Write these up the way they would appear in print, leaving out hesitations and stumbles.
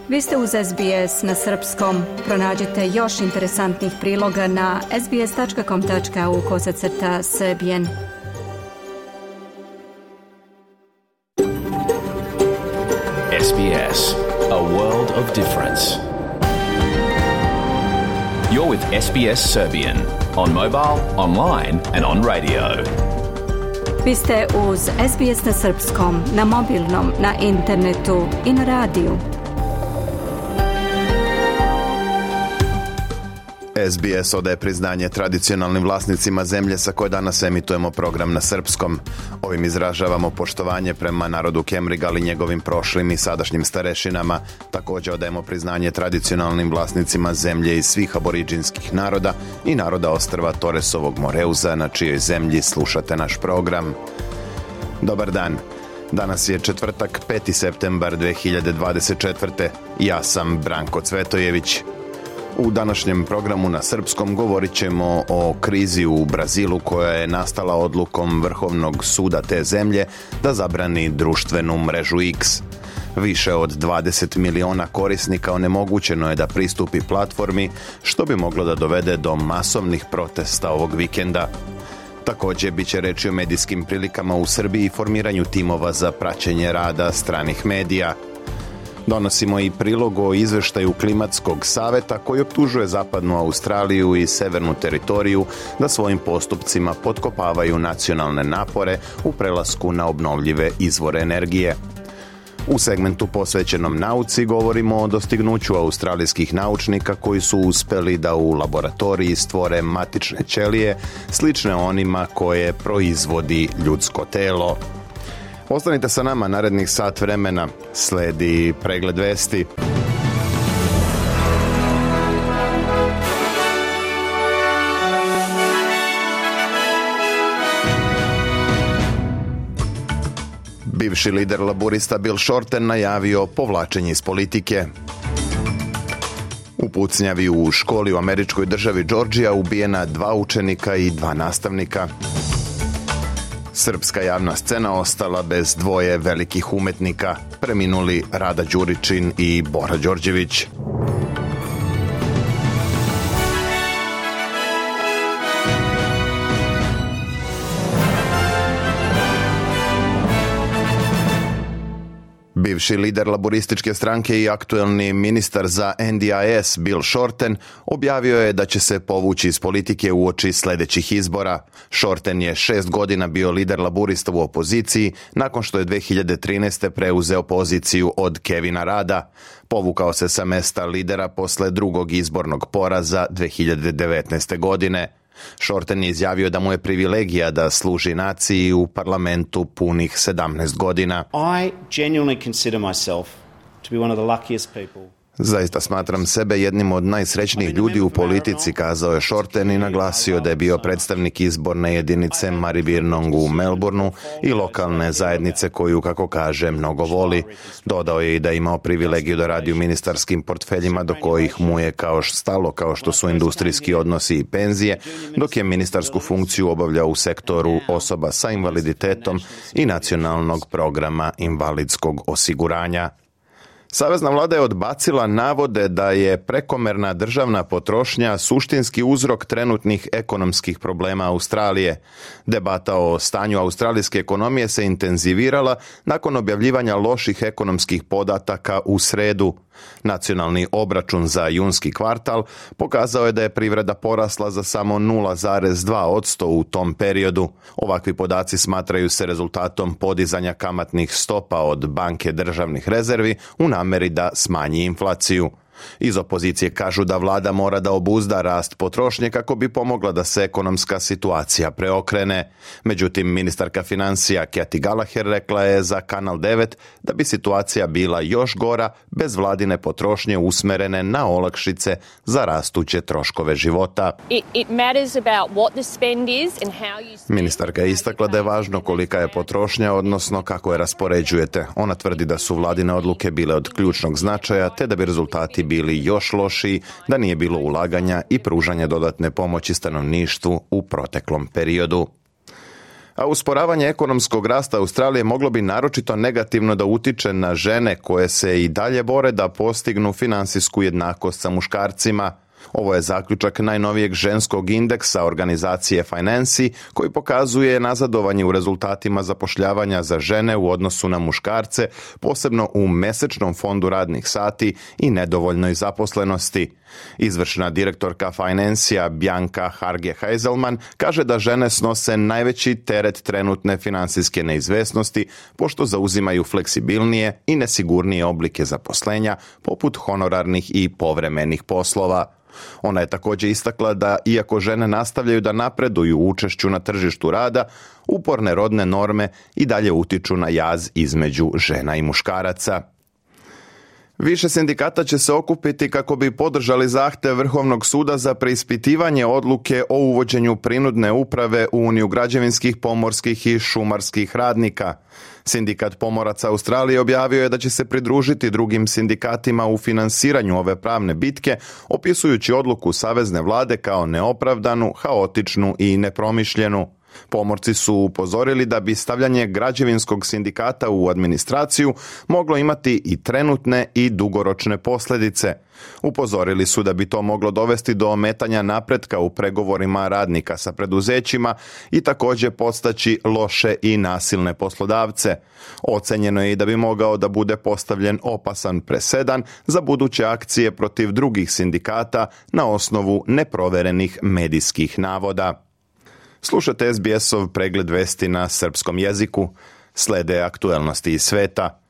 Vi ste uz SBS na srpskom. Pronađite još interesantnih priloga na sbs.com.au/srbijen. SBS, a world of difference. You're with SBS Serbian on mobile, online and on radio. Vi ste uz SBS na srpskom, na mobilnom, na internetu i na radiju. SBS odaje priznanje tradicionalnim vlasnicima zemlje sa koje danas emitujemo program na srpskom. Ovim izražavamo poštovanje prema narodu Kemrigal i njegovim prošlim i sadašnjim starešinama. Također odajemo priznanje tradicionalnim vlasnicima zemlje iz svih aboriđinskih naroda i naroda ostrva Toresovog Moreuza, na čijoj zemlji slušate naš program. Dobar dan. Danas je četvrtak, 5. septembar 2024. Ja sam Branko Cvetojević. U današnjem programu na srpskom govorit ćemo o krizi u Brazilu koja je nastala odlukom Vrhovnog suda te zemlje da zabrani društvenu mrežu X. Više od 20 miliona korisnika onemogućeno je da pristupi platformi, što bi moglo da dovede do masovnih protesta ovog vikenda. Također bit će reći o medijskim prilikama u Srbiji i formiranju timova za praćenje rada stranih medija. Donosimo i prilog o izveštaju Klimatskog saveta koji optužuje zapadnu Australiju i severnu teritoriju da svojim postupcima potkopavaju nacionalne napore u prelasku na obnovljive izvore energije. U segmentu posvećenom nauci govorimo o dostignuću australijskih naučnika koji su uspjeli da u laboratoriji stvore matične ćelije slične onima koje proizvodi ljudsko telo. Ostanite sa nama narednih sat vremena. Sledi pregled vesti. Bivši lider laburista Bill Shorten najavio povlačenje iz politike. U pucnjavi u školi u američkoj državi Georgia ubijena 2 učenika i 2 nastavnika. Srpska javna scena ostala bez 2 velikih umetnika, preminuli Rada Đuričin i Bora Đorđević. Bivši lider laborističke stranke i aktuelni ministar za NDIS Bill Shorten objavio je da će se povući iz politike uoči sljedećih izbora. Shorten je 6 godina bio lider laborista u opoziciji nakon što je 2013. preuzeo poziciju od Kevina Rada. Povukao se sa mesta lidera posle drugog izbornog poraza 2019. godine. Shorten je izjavio da mu je privilegija da služi naciji u parlamentu punih 17 godina. I genuinely consider myself to be one of the luckiest people. Zaista smatram sebe jednim od najsrećnijih ljudi u politici, kazao je Shorten i naglasio da je bio predstavnik izborne jedinice Maribyrnong u Melbourneu i lokalne zajednice koju, kako kaže, mnogo voli. Dodao je i da je imao privilegiju da radi u ministarskim portfeljima do kojih mu je kao što su industrijski odnosi i penzije, dok je ministarsku funkciju obavljao u sektoru osoba sa invaliditetom i nacionalnog programa invalidskog osiguranja. Savezna vlada je odbacila navode da je prekomerna državna potrošnja suštinski uzrok trenutnih ekonomskih problema Australije. Debata o stanju australijske ekonomije se intenzivirala nakon objavljivanja loših ekonomskih podataka u sredu. Nacionalni obračun za junski kvartal pokazao je da je privreda porasla za samo 0,2% u tom periodu. Ovakvi podaci smatraju se rezultatom podizanja kamatnih stopa od Banke državnih rezervi u namjeri da smanji inflaciju. Iz opozicije kažu da vlada mora da obuzda rast potrošnje kako bi pomogla da se ekonomska situacija preokrene. Međutim, ministarka financija Cathy Gallagher rekla je za Kanal 9 da bi situacija bila još gora bez vladine potrošnje usmerene na olakšice za rastuće troškove života. Ministarka je istakla da je važno kolika je potrošnja, odnosno kako je raspoređujete. Ona tvrdi da su vladine odluke bile od ključnog značaja, te da bi rezultati bili još lošiji da nije bilo ulaganja i pružanja dodatne pomoći stanovništvu u proteklom periodu. A usporavanje ekonomskog rasta Australije moglo bi naročito negativno da utiče na žene koje se i dalje bore da postignu finansijsku jednakost sa muškarcima. Ovo je zaključak najnovijeg ženskog indeksa organizacije Financi koji pokazuje nazadovanje u rezultatima zapošljavanja za žene u odnosu na muškarce, posebno u mesečnom fondu radnih sati i nedovoljnoj zaposlenosti. Izvršna direktorka Financija Bianca Harge-Heiselman kaže da žene snose najveći teret trenutne finansijske neizvesnosti pošto zauzimaju fleksibilnije i nesigurnije oblike zaposlenja poput honorarnih i povremenih poslova. Ona je također istakla da iako žene nastavljaju da napreduju u učešću na tržištu rada, uporne rodne norme i dalje utiču na jaz između žena i muškaraca. Više sindikata će se okupiti kako bi podržali zahtev Vrhovnog suda za preispitivanje odluke o uvođenju prinudne uprave u Uniju građevinskih, pomorskih i šumarskih radnika. Sindikat pomoraca Australije objavio je da će se pridružiti drugim sindikatima u finansiranju ove pravne bitke, opisujući odluku savezne vlade kao neopravdanu, haotičnu i nepromišljenu. Pomorci su upozorili da bi stavljanje građevinskog sindikata u administraciju moglo imati i trenutne i dugoročne posljedice. Upozorili su da bi to moglo dovesti do ometanja napretka u pregovorima radnika sa preduzećima i također podstaći loše i nasilne poslodavce. Ocenjeno je i da bi mogao da bude postavljen opasan presedan za buduće akcije protiv drugih sindikata na osnovu neproverenih medijskih navoda. Slušate SBS-ov pregled vesti na srpskom jeziku. Slede aktuelnosti iz sveta.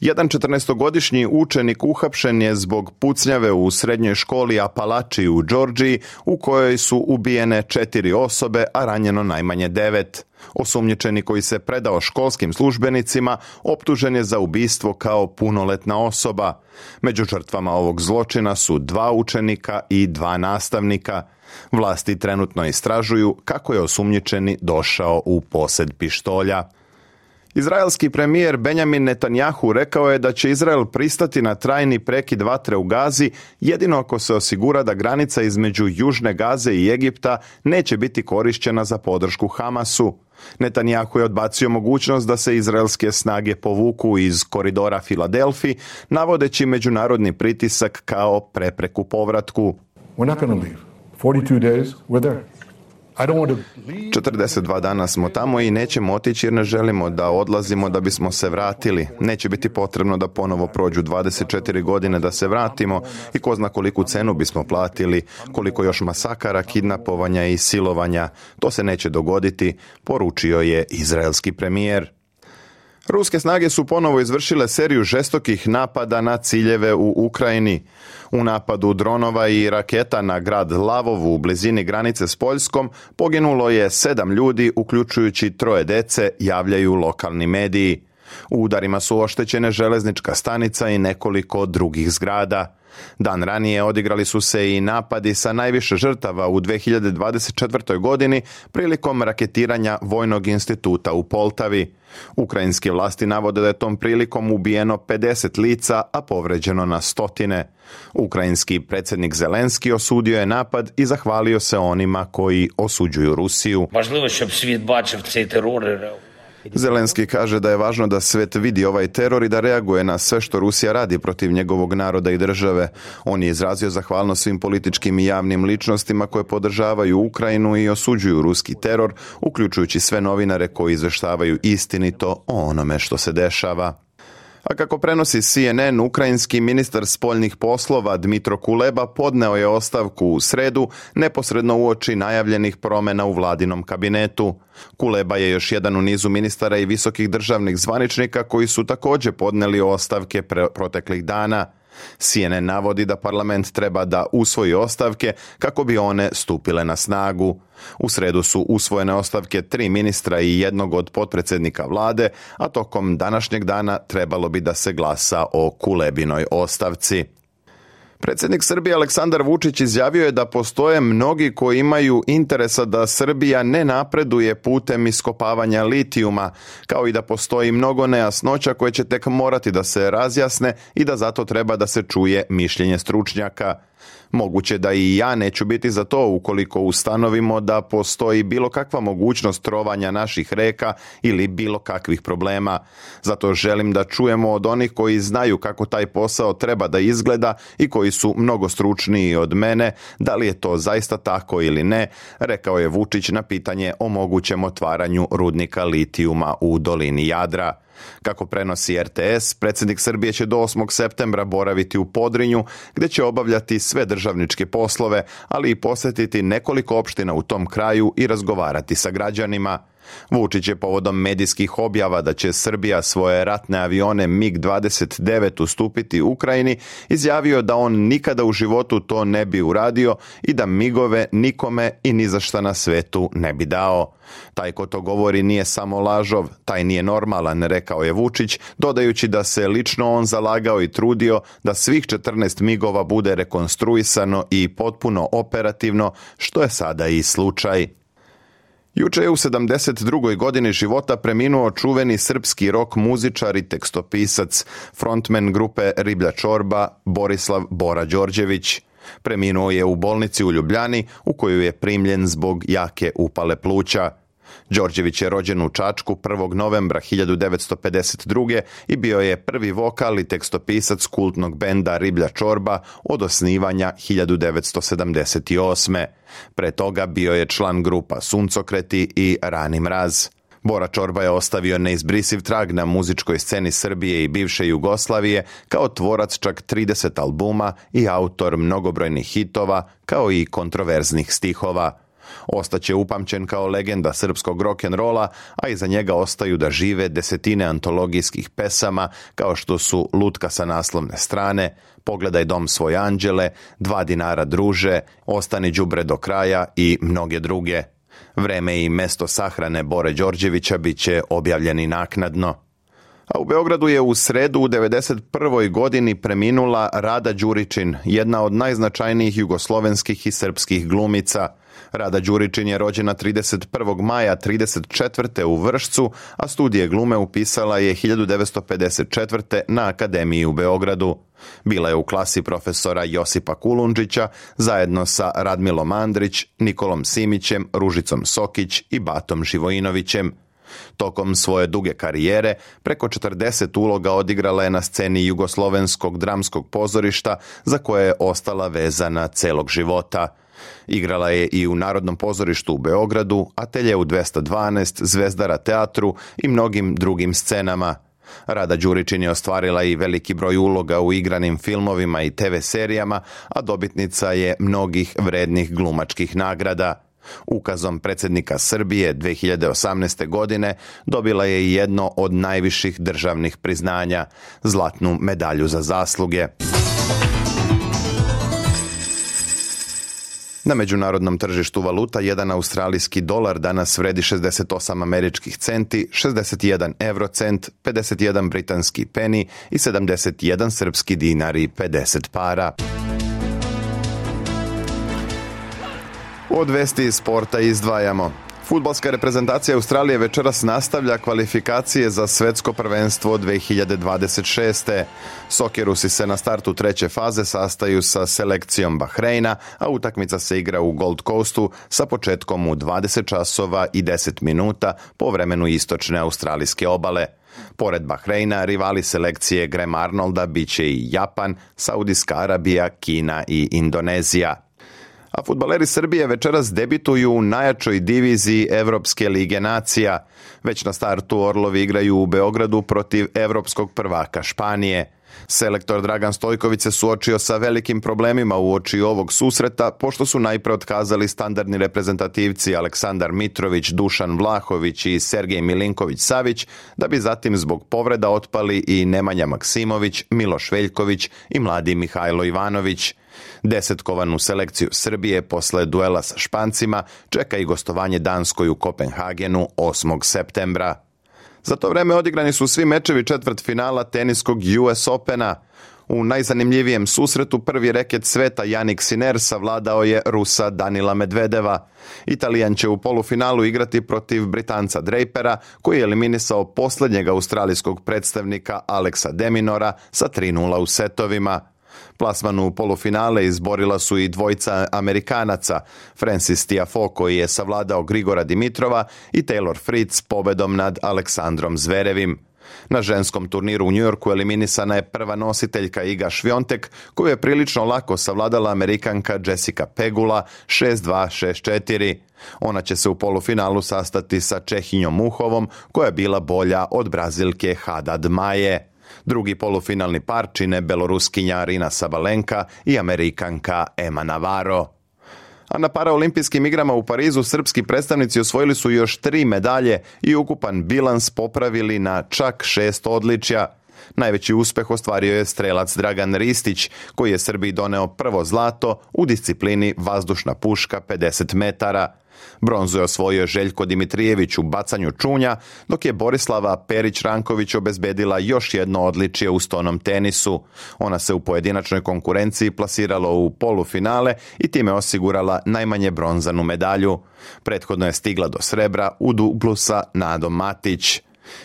Jedan 14-godišnji učenik uhapšen je zbog pucnjave u srednjoj školi Apalachi u Georgiji, u kojoj su ubijene 4 osobe, a ranjeno najmanje 9. Osumnjičeni koji se predao školskim službenicima optužen je za ubistvo kao punoletna osoba. Među žrtvama ovog zločina su 2 učenika i 2 nastavnika. Vlasti trenutno istražuju kako je osumnjičeni došao u posjed pištolja. Izraelski premijer Benjamin Netanjahu rekao je da će Izrael pristati na trajni prekid vatre u Gazi jedino ako se osigura da granica između Južne Gaze i Egipta neće biti korišćena za podršku Hamasu. Netanjahu je odbacio mogućnost da se izraelske snage povuku iz koridora Filadelfi, navodeći međunarodni pritisak kao prepreku povratku. We're not going to leave. 42 days, we're there. 42 dana smo tamo i nećemo otići jer ne želimo da odlazimo da bismo se vratili. Neće biti potrebno da ponovo prođu 24 godine da se vratimo i ko zna koliku cenu bismo platili, koliko još masakara, kidnapovanja i silovanja. To se neće dogoditi, poručio je izraelski premijer. Ruske snage su ponovo izvršile seriju žestokih napada na ciljeve u Ukrajini. U napadu dronova i raketa na grad Lavov u blizini granice s Poljskom poginulo je 7 ljudi, uključujući 3 dece, javljaju lokalni mediji. U udarima su oštećene železnička stanica i nekoliko drugih zgrada. Dan ranije odigrali su se i napadi sa najviše žrtava u 2024. godini prilikom raketiranja Vojnog instituta u Poltavi. Ukrajinske vlasti navode da je tom prilikom ubijeno 50 lica, a povređeno na stotine. Ukrajinski predsjednik Zelenski osudio je napad i zahvalio se onima koji osuđuju Rusiju. Važno щоб світ бачив цей терор. Zelenski kaže da je važno da svijet vidi ovaj teror i da reaguje na sve što Rusija radi protiv njegovog naroda i države. On je izrazio zahvalnost svim političkim i javnim ličnostima koje podržavaju Ukrajinu i osuđuju ruski teror, uključujući sve novinare koji izveštavaju istinito o onome što se dešava. A kako prenosi CNN, ukrajinski ministar spoljnih poslova Dmitro Kuleba podneo je ostavku u sredu, neposredno uoči najavljenih promjena u vladinom kabinetu. Kuleba je još jedan u nizu ministara i visokih državnih zvaničnika koji su također podneli ostavke proteklih dana. CNN navodi da parlament treba da usvoji ostavke kako bi one stupile na snagu. U sredu su usvojene ostavke 3 ministra i jednog od potpredsjednika vlade, a tokom današnjeg dana trebalo bi da se glasa o Kulebinoj ostavci. Predsjednik Srbije Aleksandar Vučić izjavio je da postoje mnogi koji imaju interesa da Srbija ne napreduje putem iskopavanja litijuma, kao i da postoji mnogo nejasnoća koje će tek morati da se razjasne i da zato treba da se čuje mišljenje stručnjaka. Moguće da i ja neću biti za to ukoliko ustanovimo da postoji bilo kakva mogućnost trovanja naših reka ili bilo kakvih problema. Zato želim da čujemo od onih koji znaju kako taj posao treba da izgleda i koji su mnogo stručniji od mene, da li je to zaista tako ili ne, rekao je Vučić na pitanje o mogućem otvaranju rudnika litijuma u dolini Jadra. Kako prenosi RTS, predsjednik Srbije će do 8. septembra boraviti u Podrinju, gdje će obavljati sve državničke poslove, ali i posjetiti nekoliko opština u tom kraju i razgovarati sa građanima. Vučić je povodom medijskih objava da će Srbija svoje ratne avione MiG-29 ustupiti Ukrajini izjavio da on nikada u životu to ne bi uradio i da migove nikome i ni za šta na svetu ne bi dao. Taj ko to govori nije samo lažov, taj nije normalan, rekao je Vučić, dodajući da se lično on zalagao i trudio da svih 14 migova bude rekonstruisano i potpuno operativno, što je sada i slučaj. Juče je u 72. godini života preminuo čuveni srpski rock muzičar i tekstopisac, frontman grupe Riblja čorba, Borislav Bora Đorđević. Preminuo je u bolnici u Ljubljani, u koju je primljen zbog jake upale pluća. Đorđević je rođen u Čačku 1. novembra 1952. i bio je prvi vokal i tekstopisac kultnog benda Riblja čorba od osnivanja 1978. Pre toga bio je član grupa Suncokreti i Rani mraz. Bora Čorba je ostavio neizbrisiv trag na muzičkoj sceni Srbije i bivše Jugoslavije kao tvorac čak 30 albuma i autor mnogobrojnih hitova kao i kontroverznih stihova. Ostaće upamćen kao legenda srpskog rock'n'rolla, a iza njega ostaju da žive desetine antologijskih pesama kao što su Lutka sa naslovne strane, Pogledaj dom svoj anđele, 2 dinara druže, Ostani đubre do kraja i mnoge druge. Vreme i mesto sahrane Bore Đorđevića bit će objavljeni naknadno. A u Beogradu je u sredu u 91. godini preminula Rada Đuričin, jedna od najznačajnijih jugoslovenskih i srpskih glumica. Rada Đuričin je rođena 31. maja 1934. u Vršcu, a studije glume upisala je 1954. na Akademiji u Beogradu. Bila je u klasi profesora Josipa Kulundžića zajedno sa Radmilom Andrić, Nikolom Simićem, Ružicom Sokić i Batom Živojinovićem. Tokom svoje duge karijere, preko 40 uloga odigrala je na sceni Jugoslovenskog dramskog pozorišta, za koje je ostala vezana celog života. Igrala je i u Narodnom pozorištu u Beogradu, Ateljeu 212, Zvezdara teatru i mnogim drugim scenama. Rada Đuričin je ostvarila i veliki broj uloga u igranim filmovima i TV serijama, a dobitnica je mnogih vrednih glumačkih nagrada. Ukazom predsjednika Srbije 2018. godine dobila je i jedno od najviših državnih priznanja, zlatnu medalju za zasluge. Na međunarodnom tržištu valuta jedan australijski dolar danas vredi 68 američkih centi, 61 eurocent, 51 britanski peni i 71 srpski dinar i 50 para. Od vesti iz sporta izdvajamo. Fudbalska reprezentacija Australije večeras nastavlja kvalifikacije za svetsko prvenstvo 2026. Sokerusi se na startu treće faze sastaju sa selekcijom Bahreina, a utakmica se igra u Gold Coastu sa početkom u 20 časova i 10 minuta po vremenu istočne australijske obale. Pored Bahreina, rivali selekcije Graham Arnolda bit će i Japan, Saudijska Arabija, Kina i Indonezija. A fudbaleri Srbije večeras debituju u najjačoj diviziji Evropske lige nacija. Već na startu Orlovi igraju u Beogradu protiv evropskog prvaka Španije. Selektor Dragan Stojković se suočio sa velikim problemima uoči ovog susreta, pošto su najpre otkazali standardni reprezentativci Aleksandar Mitrović, Dušan Vlahović i Sergej Milinković-Savić, da bi zatim zbog povreda otpali i Nemanja Maksimović, Miloš Veljković i mladi Mihajlo Ivanović. Desetkovanu selekciju Srbije posle duela sa Špancima čeka i gostovanje Danskoj u Kopenhagenu 8. septembra. Za to vreme odigrani su svi mečevi četvrtfinala teniskog US Opena. U najzanimljivijem susretu prvi reket sveta Jannik Sinner savladao je Rusa Danila Medvedeva. Italijan će u polufinalu igrati protiv Britanca Drapera, koji je eliminisao posljednjeg australijskog predstavnika Alexa de Minaura sa 3:0 u setovima. Plasman u polufinale izborila su i dvojica Amerikanaca, Francis Tiafoe koji je savladao Grigora Dimitrova i Taylor Fritz pobedom nad Aleksandrom Zverevim. Na ženskom turniru u Njujorku eliminisana je prva nositeljka Iga Šviontek, koju je prilično lako savladala Amerikanka Jessica Pegula 6-2-6-4. Ona će se u polufinalu sastati sa Čehinjom Muhovom, koja je bila bolja od Brazilke Haddad Maje. Drugi polufinalni par čine Beloruskinja Arina Sabalenka i Amerikanka Emma Navarro. A na paraolimpijskim igrama u Parizu srpski predstavnici osvojili su još 3 medalje i ukupan bilans popravili na čak 6 odličja. Najveći uspeh ostvario je strelac Dragan Ristić, koji je Srbiji doneo prvo zlato u disciplini vazdušna puška 50 metara. Bronzu je osvojio Željko Dimitrijević u bacanju čunja, dok je Borislava Perić-Ranković obezbedila još jedno odličje u stonom tenisu. Ona se u pojedinačnoj konkurenciji plasirala u polufinale i time osigurala najmanje bronzanu medalju. Prethodno je stigla do srebra u dublu sa Nadom Matić.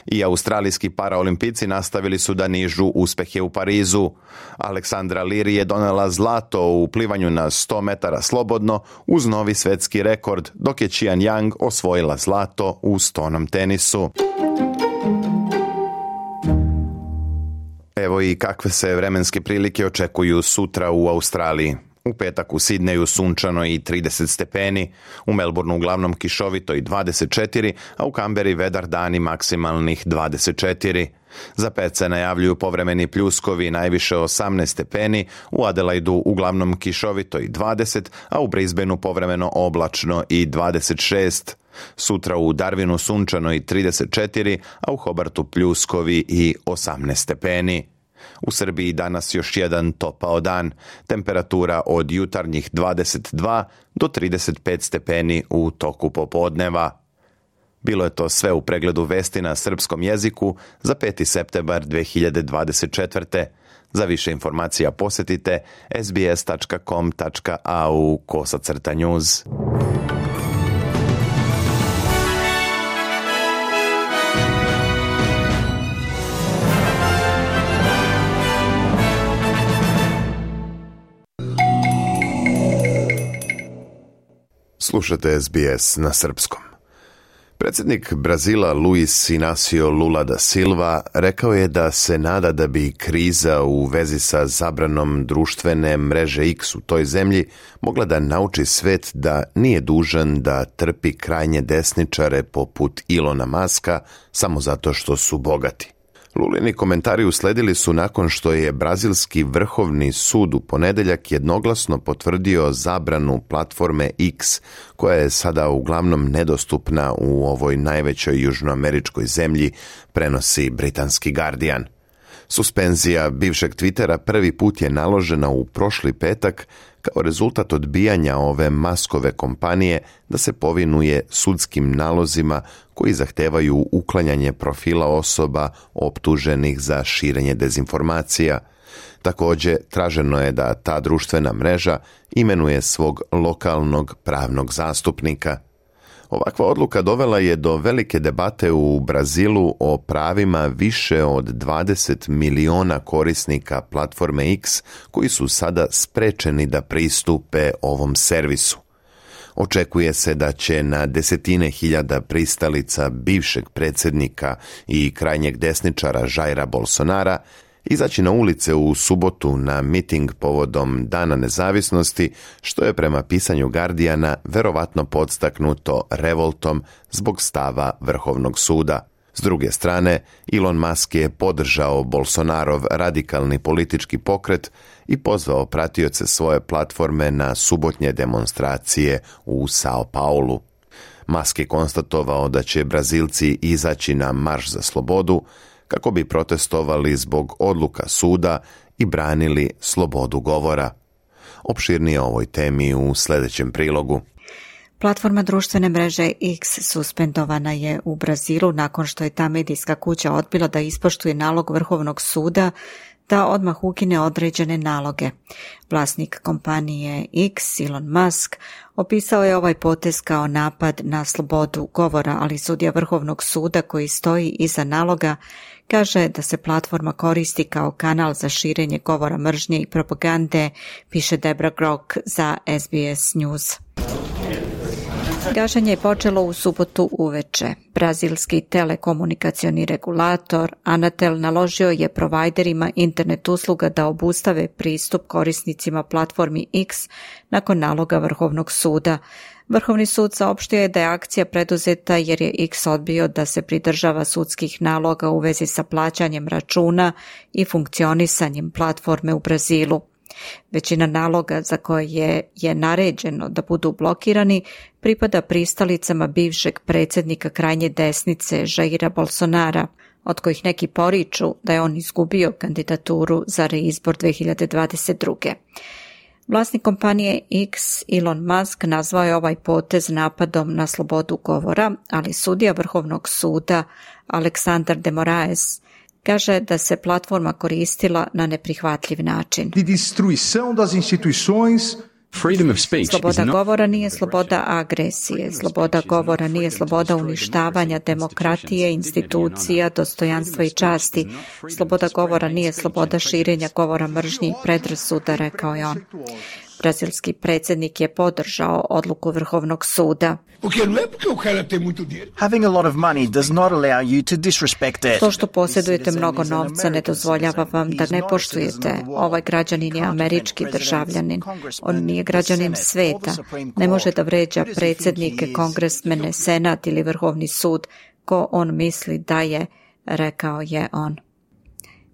I australijski paraolimpijci nastavili su da nižu uspjehe u Parizu. Aleksandra Liri je donela zlato u plivanju na 100 metara slobodno uz novi svetski rekord, dok je Qian Yang osvojila zlato u stonom tenisu. Evo i kakve se vremenske prilike očekuju sutra u Australiji. U petak u Sidneju sunčano i 30 stepeni, u Melbourneu uglavnom kišovito i 24, a u Kamberi vedar dani maksimalnih 24. Za pet se najavljuju povremeni pljuskovi najviše 18 stepeni, u Adelaidu uglavnom kišovito i 20, a u Brisbaneu povremeno oblačno i 26. Sutra u Darwinu sunčano i 34, a u Hobartu pljuskovi i 18 stepeni. U Srbiji danas još jedan topao dan, temperatura od jutarnjih 22 do 35 stepeni u toku popodneva. Bilo je to sve u pregledu vesti na srpskom jeziku za 5. septembar 2024. Za više informacija posjetite sbs.com.au/news. Slušate SBS na srpskom. Predsjednik Brazila Luis Inácio Lula da Silva rekao je da se nada da bi kriza u vezi sa zabranom društvene mreže X u toj zemlji mogla da nauči svet da nije dužan da trpi krajnje desničare poput Ilona Muska samo zato što su bogati. Lulini komentari usledili su nakon što je brazilski vrhovni sud u ponedjeljak jednoglasno potvrdio zabranu platforme X, koja je sada uglavnom nedostupna u ovoj najvećoj južnoameričkoj zemlji, prenosi britanski Guardian. Suspenzija bivšeg Twittera prvi put je naložena u prošli petak kao rezultat odbijanja ove Muskove kompanije da se povinuje sudskim nalozima koji zahtevaju uklanjanje profila osoba optuženih za širenje dezinformacija. Također, traženo je da ta društvena mreža imenuje svog lokalnog pravnog zastupnika. Ovakva odluka dovela je do velike debate u Brazilu o pravima više od 20 miliona korisnika platforme X koji su sada sprečeni da pristupe ovom servisu. Očekuje se da će na desetine hiljada pristalica bivšeg predsjednika i krajnjeg desničara Jaira Bolsonara izaći na ulice u subotu na miting povodom Dana nezavisnosti, što je prema pisanju Guardiana verovatno podstaknuto revoltom zbog stava Vrhovnog suda. S druge strane, Elon Musk je podržao Bolsonarov radikalni politički pokret i pozvao pratioce svoje platforme na subotnje demonstracije u Sao Paulu. Musk je konstatovao da će Brazilci izaći na marš za slobodu kako bi protestovali zbog odluka suda i branili slobodu govora. Opširnije o ovoj temi u sljedećem prilogu. Platforma društvene mreže X suspendovana je u Brazilu nakon što je ta medijska kuća odbila da ispoštuje nalog Vrhovnog suda da odmah ukine određene naloge. Vlasnik kompanije X, Elon Musk, opisao je ovaj potez kao napad na slobodu govora, ali sudija Vrhovnog suda koji stoji iza naloga Kaže da se platforma koristi kao kanal za širenje govora mržnje i propagande, piše Debra Grok za SBS News. Gašenje je počelo u subotu uveče. Brazilski telekomunikacioni regulator Anatel naložio je provajderima internet usluga da obustave pristup korisnicima platformi X nakon naloga Vrhovnog suda. Vrhovni sud saopštio je da je akcija preduzeta jer je X odbio da se pridržava sudskih naloga u vezi sa plaćanjem računa i funkcionisanjem platforme u Brazilu. Većina naloga za koje je naređeno da budu blokirani pripada pristalicama bivšeg predsjednika krajnje desnice Jaira Bolsonara, od kojih neki poriču da je on izgubio kandidaturu za reizbor 2022. Vlasnik kompanije X, Elon Musk, nazvao je ovaj potez napadom na slobodu govora, ali sudija Vrhovnog suda Alexander de Moraes kaže da se platforma koristila na neprihvatljiv način. Sloboda govora nije sloboda agresije, sloboda govora nije sloboda uništavanja demokratije, institucija, dostojanstva i časti, sloboda govora nije sloboda širenja govora mržnje i predrasuda, rekao je on. Brazilski predsjednik je podržao odluku Vrhovnog suda. Having a lot of money does not allow you to disrespect it. To što posjedujete mnogo novca ne dozvoljava vam da ne poštujete. Ovaj građanin je američki državljanin. On nije građanin sveta. Ne može da vređa predsjednike, kongresmene, senat ili Vrhovni sud ko on misli da je, rekao je on.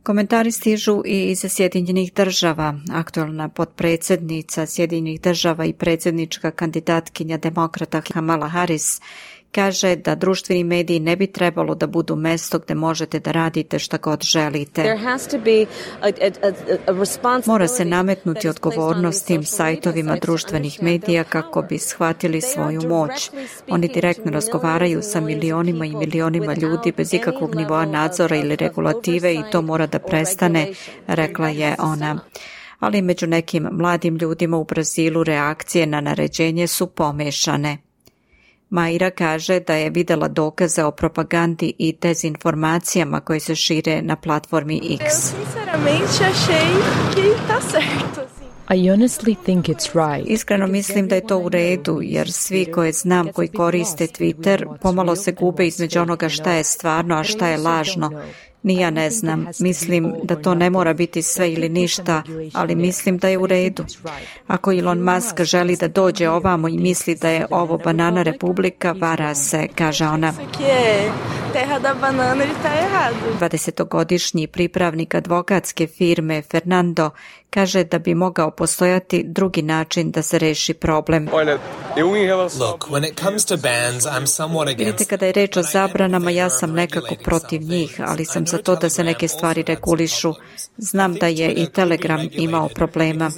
Komentari stižu i iz Sjedinjenih država. Aktualna potpredsjednica Sjedinjenih država i predsjednička kandidatkinja demokrata Kamala Harris kaže da društveni mediji ne bi trebalo da budu mesto gdje možete da radite šta god želite. Mora se nametnuti odgovornost tim sajtovima društvenih medija kako bi shvatili svoju moć. Oni direktno razgovaraju sa milionima i milionima ljudi bez ikakvog nivoa nadzora ili regulative i to mora da prestane, rekla je ona. Ali među nekim mladim ljudima u Brazilu reakcije na naređenje su pomešane. Maira kaže da je videla dokaze o propagandi i dezinformacijama koje se šire na platformi X. Iskreno mislim da je to u redu, jer svi koje znam koji koriste Twitter pomalo se gube između onoga šta je stvarno, a šta je lažno. Ni ja ne znam, mislim da to ne mora biti sve ili ništa, ali mislim da je u redu. Ako Elon Musk želi da dođe ovamo i misli da je ovo banana republika, vara se, kaže ona. 20-godišnji pripravnik advokatske firme Fernando kaže da bi mogao postojati drugi način da se reši problem. Vidite, kada je reč o zabranama, ja sam nekako protiv njih, ali sam za to da se neke stvari regulišu. Znam da je i Telegram imao problema.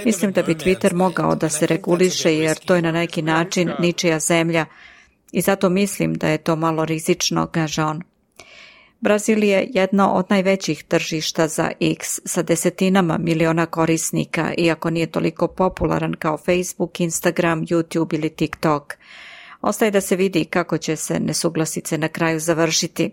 Mislim da bi Twitter mogao da se reguliše, jer to je na neki način ničija zemlja. I zato mislim da je to malo rizično, kaže on. Brazil je jedno od najvećih tržišta za X sa desetinama miliona korisnika, iako nije toliko popularan kao Facebook, Instagram, YouTube ili TikTok. Ostaje da se vidi kako će se nesuglasice na kraju završiti.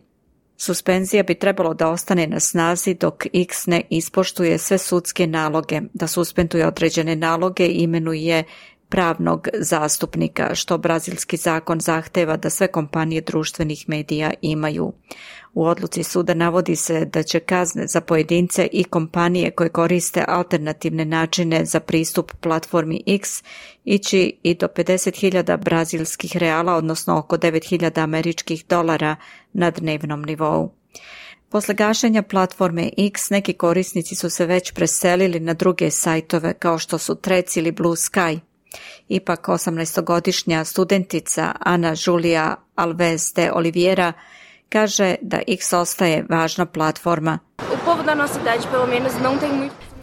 Suspenzija bi trebalo da ostane na snazi dok X ne ispoštuje sve sudske naloge, da suspenduje određene naloge i imenuje pravnog zastupnika, što brazilski zakon zahteva da sve kompanije društvenih medija imaju. U odluci suda navodi se da će kazne za pojedince i kompanije koje koriste alternativne načine za pristup platformi X ići i do 50.000 brazilskih reala, odnosno oko 9.000 američkih dolara na dnevnom nivou. Posle gašenja platforme X, neki korisnici su se već preselili na druge sajtove kao što su Threads ili Blue Sky. Ipak 18-godišnja studentica Ana Julia Alves de Oliveira kaže da X ostaje važna platforma.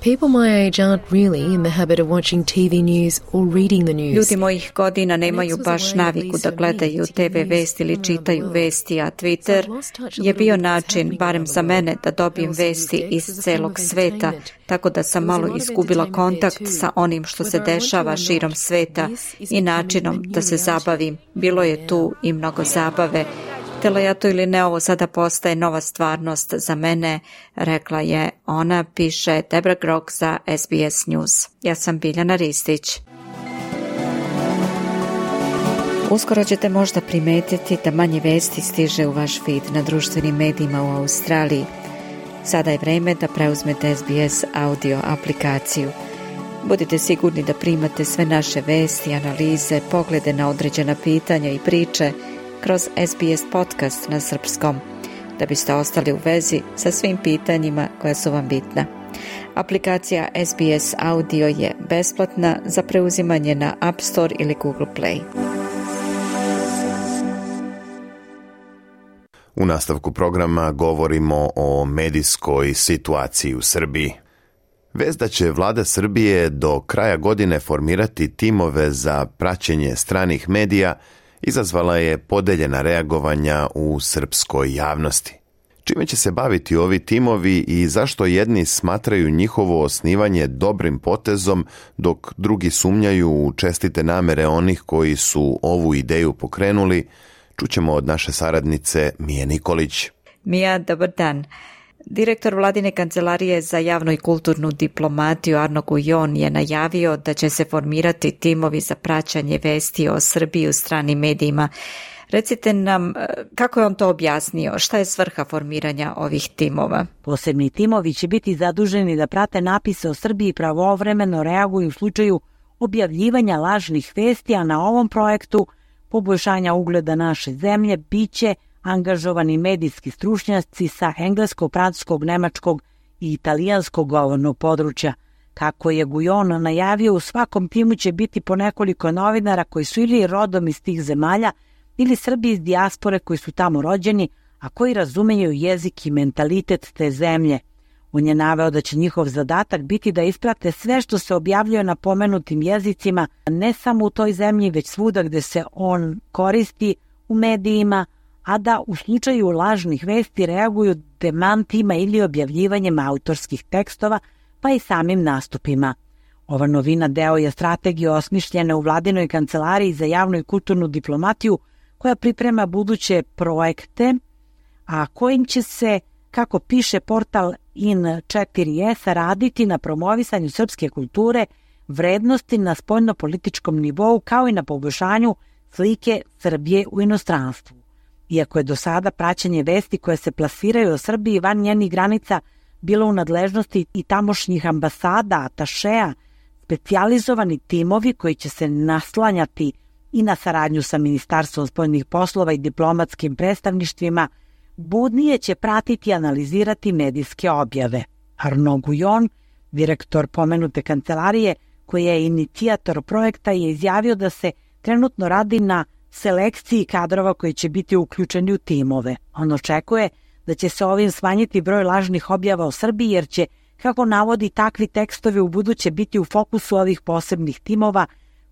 People my age aren't really in the habit of watching TV news or reading the news. Ljudi mojih godina nemaju baš naviku da gledaju TV vesti ili čitaju vesti, a Twitter je bio način, barem za mene, da dobijem vesti iz celog sveta, tako da sam malo izgubila kontakt sa onim što se dešava širom sveta i načinom da se zabavim. Bilo je tu i mnogo zabave. Htjela ja to ili ne, ovo sada postaje nova stvarnost za mene, rekla je ona, piše Debra Grok za SBS News. Ja sam Biljana Ristić. Uskoro ćete možda primetiti da manje vesti stiže u vaš feed na društvenim medijima u Australiji. Sada je vreme da preuzmete SBS audio aplikaciju. Budite sigurni da primate sve naše vesti, analize, poglede na određena pitanja i priče kroz SBS podcast na srpskom, da biste ostali u vezi sa svim pitanjima koja su vam bitna. Aplikacija SBS Audio je besplatna za preuzimanje na App Store ili Google Play. U nastavku programa govorimo o medijskoj situaciji u Srbiji. Vest da će vlada Srbije do kraja godine formirati timove za praćenje stranih medija izazvala je podeljena reagovanja u srpskoj javnosti. Čime će se baviti ovi timovi i zašto jedni smatraju njihovo osnivanje dobrim potezom, dok drugi sumnjaju u čestite namere onih koji su ovu ideju pokrenuli, čućemo od naše saradnice Mije Nikolić. Mija, dobar dan. Direktor Vladine kancelarije za javnu i kulturnu diplomatiju Arno Gujon je najavio da će se formirati timovi za praćanje vesti o Srbiji u stranim medijima. Recite nam kako je on to objasnio, šta je svrha formiranja ovih timova? Posebni timovi će biti zaduženi da prate napise o Srbiji i pravovremeno reaguju u slučaju objavljivanja lažnih vesti, a na ovom projektu poboljšanja ugleda naše zemlje biće angažovani medijski stručnjaci sa engleskog, francuskog, nemačkog i italijanskog govornog područja. Kako je Gujon najavio, u svakom timu će biti po nekoliko novinara koji su ili rodom iz tih zemalja ili Srbi iz dijaspore koji su tamo rođeni, a koji razumeju jezik i mentalitet te zemlje. On je naveo da će njihov zadatak biti da isprate sve što se objavljuje na pomenutim jezicima, ne samo u toj zemlji, već svuda gde se on koristi u medijima, a da u slučaju lažnih vesti reaguju demantima ili objavljivanjem autorskih tekstova, pa i samim nastupima. Ova novina deo je strategije osmišljene u Vladinoj kancelariji za javnu i kulturnu diplomatiju, koja priprema buduće projekte, a kojim će se, kako piše portal In4S, raditi na promovisanju srpske kulture, vrednosti na spoljnopolitičkom nivou, kao i na poboljšanju slike Srbije u inostranstvu. Iako je do sada praćenje vesti koje se plasiraju o Srbiji van njenih granica bilo u nadležnosti i tamošnjih ambasada, atašeja, specijalizovani timovi koji će se naslanjati i na saradnju sa Ministarstvom spoljnih poslova i diplomatskim predstavništvima, budnije će pratiti i analizirati medijske objave. Arno Gujon, direktor pomenute kancelarije, koji je inicijator projekta, je izjavio da se trenutno radi na selekciji kadrova koji će biti uključeni u timove. On očekuje da će se ovim smanjiti broj lažnih objava o Srbiji, jer će, kako navodi, takvi tekstovi u buduće biti u fokusu ovih posebnih timova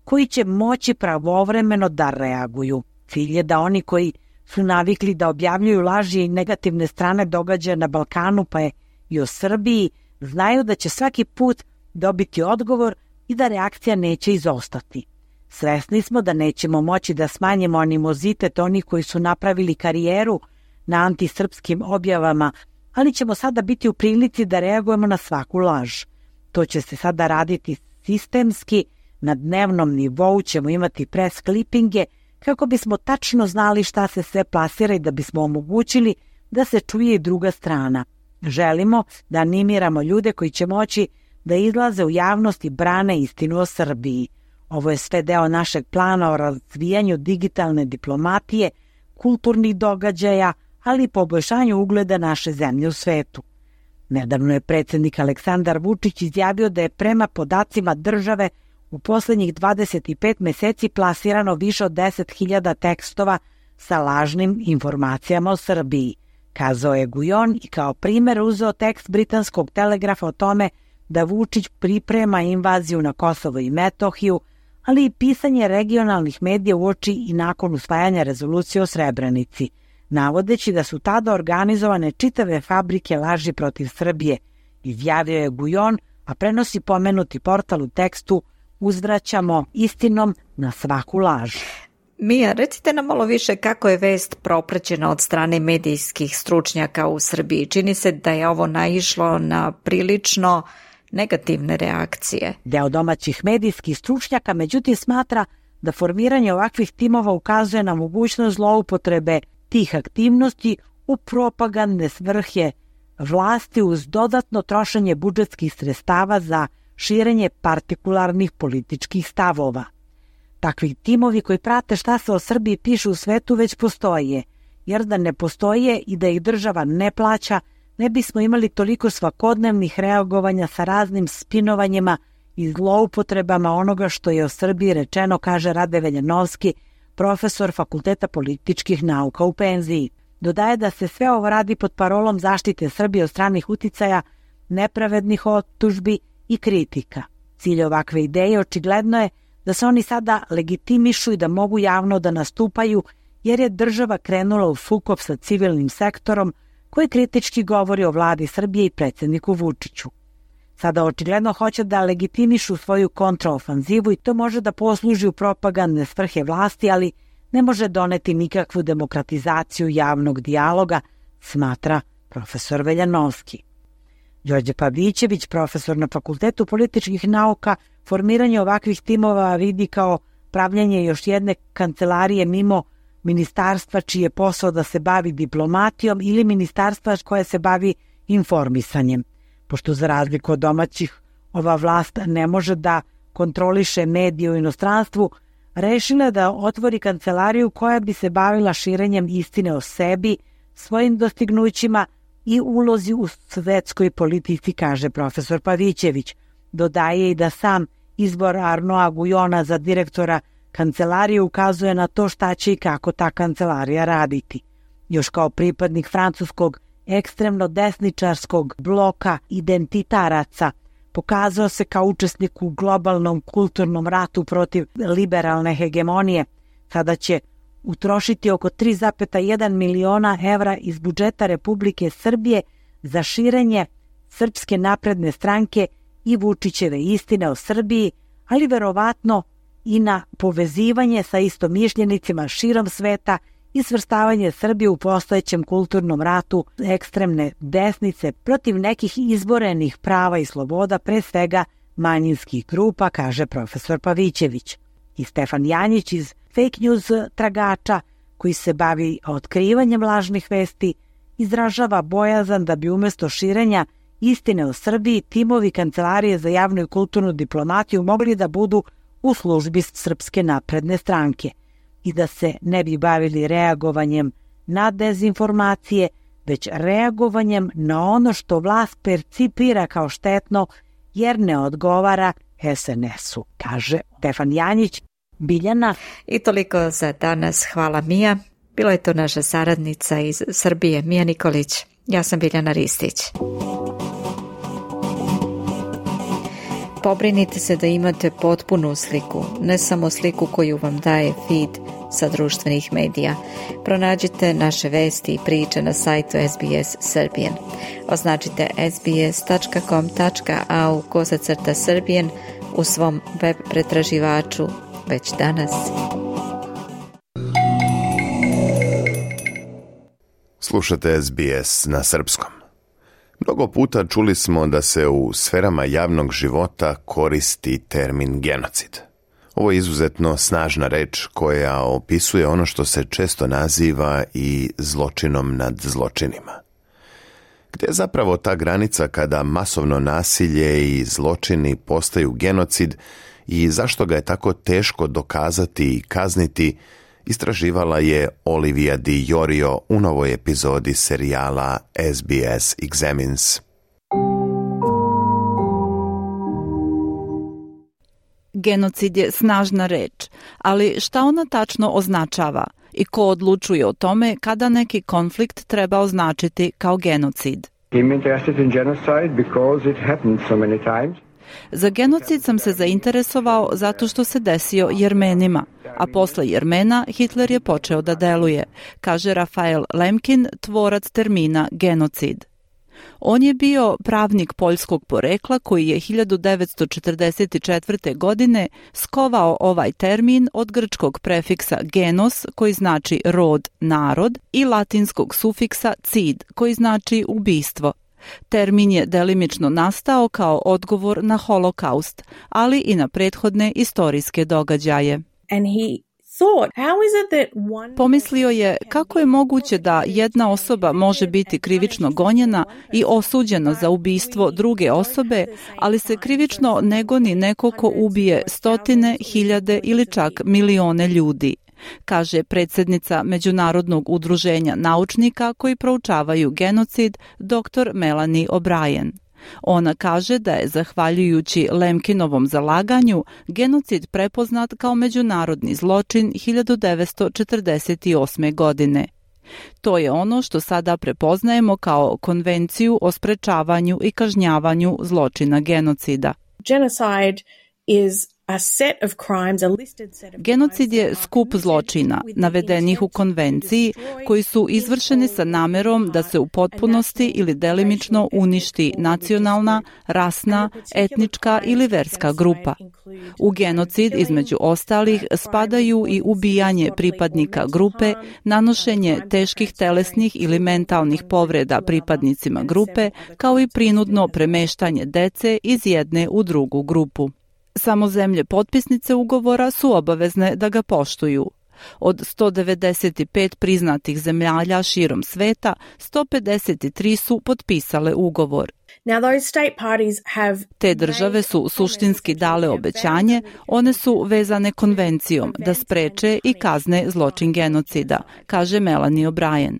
koji će moći pravovremeno da reaguju. Cilj je da oni koji su navikli da objavljuju laži i negativne strane događaja na Balkanu, pa je i o Srbiji, znaju da će svaki put dobiti odgovor i da reakcija neće izostati. Svesni smo da nećemo moći da smanjimo animozitet onih koji su napravili karijeru na antisrpskim objavama, ali ćemo sada biti u prilici da reagujemo na svaku laž. To će se sada raditi sistemski, na dnevnom nivou ćemo imati press klipinge kako bismo tačno znali šta se sve plasira i da bismo omogućili da se čuje i druga strana. Želimo da animiramo ljude koji će moći da izlaze u javnost i brane istinu o Srbiji. Ovo je sve deo našeg plana o razvijanju digitalne diplomatije, kulturnih događaja, ali i poboljšanju ugleda naše zemlje u svetu. Nedavno je predsjednik Aleksandar Vučić izjavio da je prema podacima države u posljednjih 25 meseci plasirano više od 10.000 tekstova sa lažnim informacijama o Srbiji. Kazao je Gujon i kao primjer uzeo tekst britanskog Telegrafa o tome da Vučić priprema invaziju na Kosovo i Metohiju, ali i pisanje regionalnih medija uoči i nakon usvajanja rezolucije o Srebrenici, navodeći da su tada organizovane čitave fabrike laži protiv Srbije, izjavio je Gujon, a prenosi pomenuti portal u tekstu: uzvraćamo istinom na svaku laž. Mija, recite nam malo više kako je vest propraćena od strane medijskih stručnjaka u Srbiji. Čini se da je ovo naišlo na prilično negativne reakcije. Deo domaćih medijskih stručnjaka međutim smatra da formiranje ovakvih timova ukazuje na mogućnost zloupotrebe tih aktivnosti u propagandne svrhe vlasti uz dodatno trošenje budžetskih sredstava za širenje partikularnih političkih stavova. Takvi timovi koji prate šta se o Srbiji piše u svetu već postoje, jer da ne postoje i da ih država ne plaća, ne bismo imali toliko svakodnevnih reagovanja sa raznim spinovanjima i zloupotrebama onoga što je o Srbiji rečeno, kaže Rade Veljanovski, profesor Fakulteta političkih nauka u penziji. Dodaje da se sve ovo radi pod parolom zaštite Srbije od stranih uticaja, nepravednih optužbi i kritika. Cilj ovakve ideje očigledno je da se oni sada legitimišu i da mogu javno da nastupaju, jer je država krenula u sukob sa civilnim sektorom koji kritički govori o vladi Srbije i predsjedniku Vučiću. Sada očigledno hoće da legitimišu svoju kontraofanzivu i to može da posluži u propagandne svrhe vlasti, ali ne može doneti nikakvu demokratizaciju javnog dijaloga, smatra profesor Veljanovski. Đorđe Pavićević, profesor na Fakultetu političkih nauka, formiranje ovakvih timova vidi kao pravljenje još jedne kancelarije mimo ministarstva čiji je posao da se bavi diplomatijom ili ministarstva koje se bavi informisanjem. Pošto za razliku od domaćih ova vlast ne može da kontroliše medije u inostranstvu, rešila da otvori kancelariju koja bi se bavila širenjem istine o sebi, svojim dostignućima i ulozi u svetskoj politici, kaže profesor Pavićević. Dodaje i da sam izbor Arnoa Gujona za direktora kancelarije ukazuje na to šta će i kako ta kancelarija raditi. Još kao pripadnik francuskog ekstremno desničarskog bloka identitaraca, pokazao se kao učesnik u globalnom kulturnom ratu protiv liberalne hegemonije. Sada će utrošiti oko 3,1 miliona evra iz budžeta Republike Srbije za širenje Srpske napredne stranke i Vučićeve istine o Srbiji, ali verovatno i na povezivanje sa istomišljenicima širom sveta i svrstavanje Srbije u postojećem kulturnom ratu ekstremne desnice protiv nekih izborenih prava i sloboda, pre svega manjinskih grupa, kaže profesor Pavićević. I Stefan Janjić iz fake news tragača, koji se bavi otkrivanjem lažnih vesti, izražava bojazan da bi umjesto širenja istine o Srbiji timovi Kancelarije za javnu i kulturnu diplomatiju mogli da budu u službi Srpske napredne stranke i da se ne bi bavili reagovanjem na dezinformacije, već reagovanjem na ono što vlast percipira kao štetno jer ne odgovara SNS-u, kaže Stefan Janjić. Biljana. I toliko za danas. Hvala Mija. Bila je to naša saradnica iz Srbije, Mija Nikolić. Ja sam Biljana Ristić. Pobrinite se da imate potpunu sliku, ne samo sliku koju vam daje feed sa društvenih medija. Pronađite naše vesti i priče na sajtu SBS Serbian. Označite sbs.com.au/Serbian u svom web pretraživaču već danas. Slušate SBS na srpskom. Mnogo puta čuli smo da se u sferama javnog života koristi termin genocid. Ovo je izuzetno snažna reč koja opisuje ono što se često naziva i zločinom nad zločinima. Gde je zapravo ta granica kada masovno nasilje i zločini postaju genocid i zašto ga je tako teško dokazati i kazniti, istraživala je Olivia Di Iorio u novoj epizodi serijala SBS Examines. Genocid je snažna reč, ali šta ona tačno označava i ko odlučuje o tome kada neki konflikt treba označiti kao genocid? Za genocid sam se zainteresovao zato što se desio Jermenima, a posle Jermena Hitler je počeo da deluje, kaže Rafael Lemkin, tvorac termina genocid. On je bio pravnik poljskog porekla koji je 1944. godine skovao ovaj termin od grčkog prefiksa genos koji znači rod, narod i latinskog sufiksa cid koji znači ubistvo. Termin je delimično nastao kao odgovor na holokaust, ali i na prethodne istorijske događaje. Pomislio je kako je moguće da jedna osoba može biti krivično gonjena i osuđena za ubistvo druge osobe, ali se krivično ne goni neko ko ubije stotine, hiljade ili čak milione ljudi, kaže predsjednica Međunarodnog udruženja naučnika koji proučavaju genocid dr. Melanie O'Brien. Ona kaže da je, zahvaljujući Lemkinovom zalaganju, genocid prepoznat kao međunarodni zločin 1948. godine. To je ono što sada prepoznajemo kao Konvenciju o sprečavanju i kažnjavanju zločina genocida. Genocid je skup zločina navedenih u konvenciji koji su izvršeni sa namerom da se u potpunosti ili delimično uništi nacionalna, rasna, etnička ili verska grupa. U genocid između ostalih spadaju i ubijanje pripadnika grupe, nanošenje teških telesnih ili mentalnih povreda pripadnicima grupe, kao i prinudno premeštanje dece iz jedne u drugu grupu. Samo zemlje potpisnice ugovora su obavezne da ga poštuju. Od 195 priznatih zemalja širom sveta, 153 su potpisale ugovor. Te države su suštinski dale obećanje, one su vezane konvencijom da spreče i kazne zločin genocida, kaže Melanie O'Brien.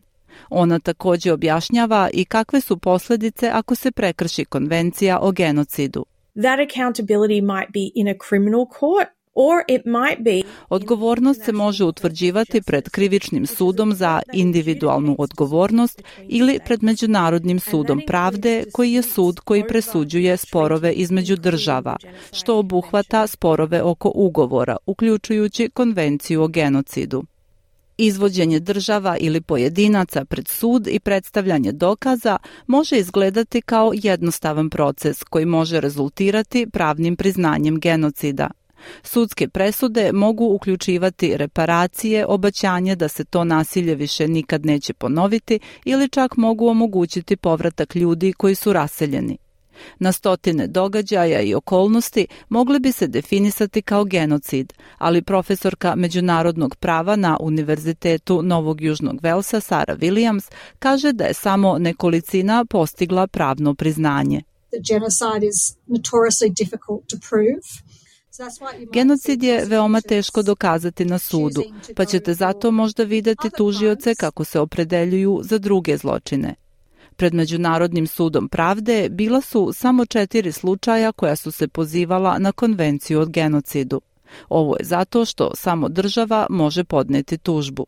Ona također objašnjava i kakve su posljedice ako se prekrši konvencija o genocidu. That accountability might be in a criminal court or it might be. Odgovornost se može utvrđivati pred krivičnim sudom za individualnu odgovornost ili pred Međunarodnim sudom pravde, koji je sud koji presuđuje sporove između država, što obuhvata sporove oko ugovora, uključujući konvenciju o genocidu. Izvođenje država ili pojedinaca pred sud i predstavljanje dokaza može izgledati kao jednostavan proces koji može rezultirati pravnim priznanjem genocida. Sudske presude mogu uključivati reparacije, obećanje da se to nasilje više nikad neće ponoviti ili čak mogu omogućiti povratak ljudi koji su raseljeni. Na stotine događaja i okolnosti mogli bi se definisati kao genocid, ali profesorka međunarodnog prava na Univerzitetu Novog Južnog Velsa Sarah Williams kaže da je samo nekolicina postigla pravno priznanje. Genocid je veoma teško dokazati na sudu, pa ćete zato možda vidjeti tužioce kako se opredeljuju za druge zločine. Pred Međunarodnim sudom pravde bila su samo 4 slučaja koja su se pozivala na konvenciju o genocidu. Ovo je zato što samo država može podnijeti tužbu.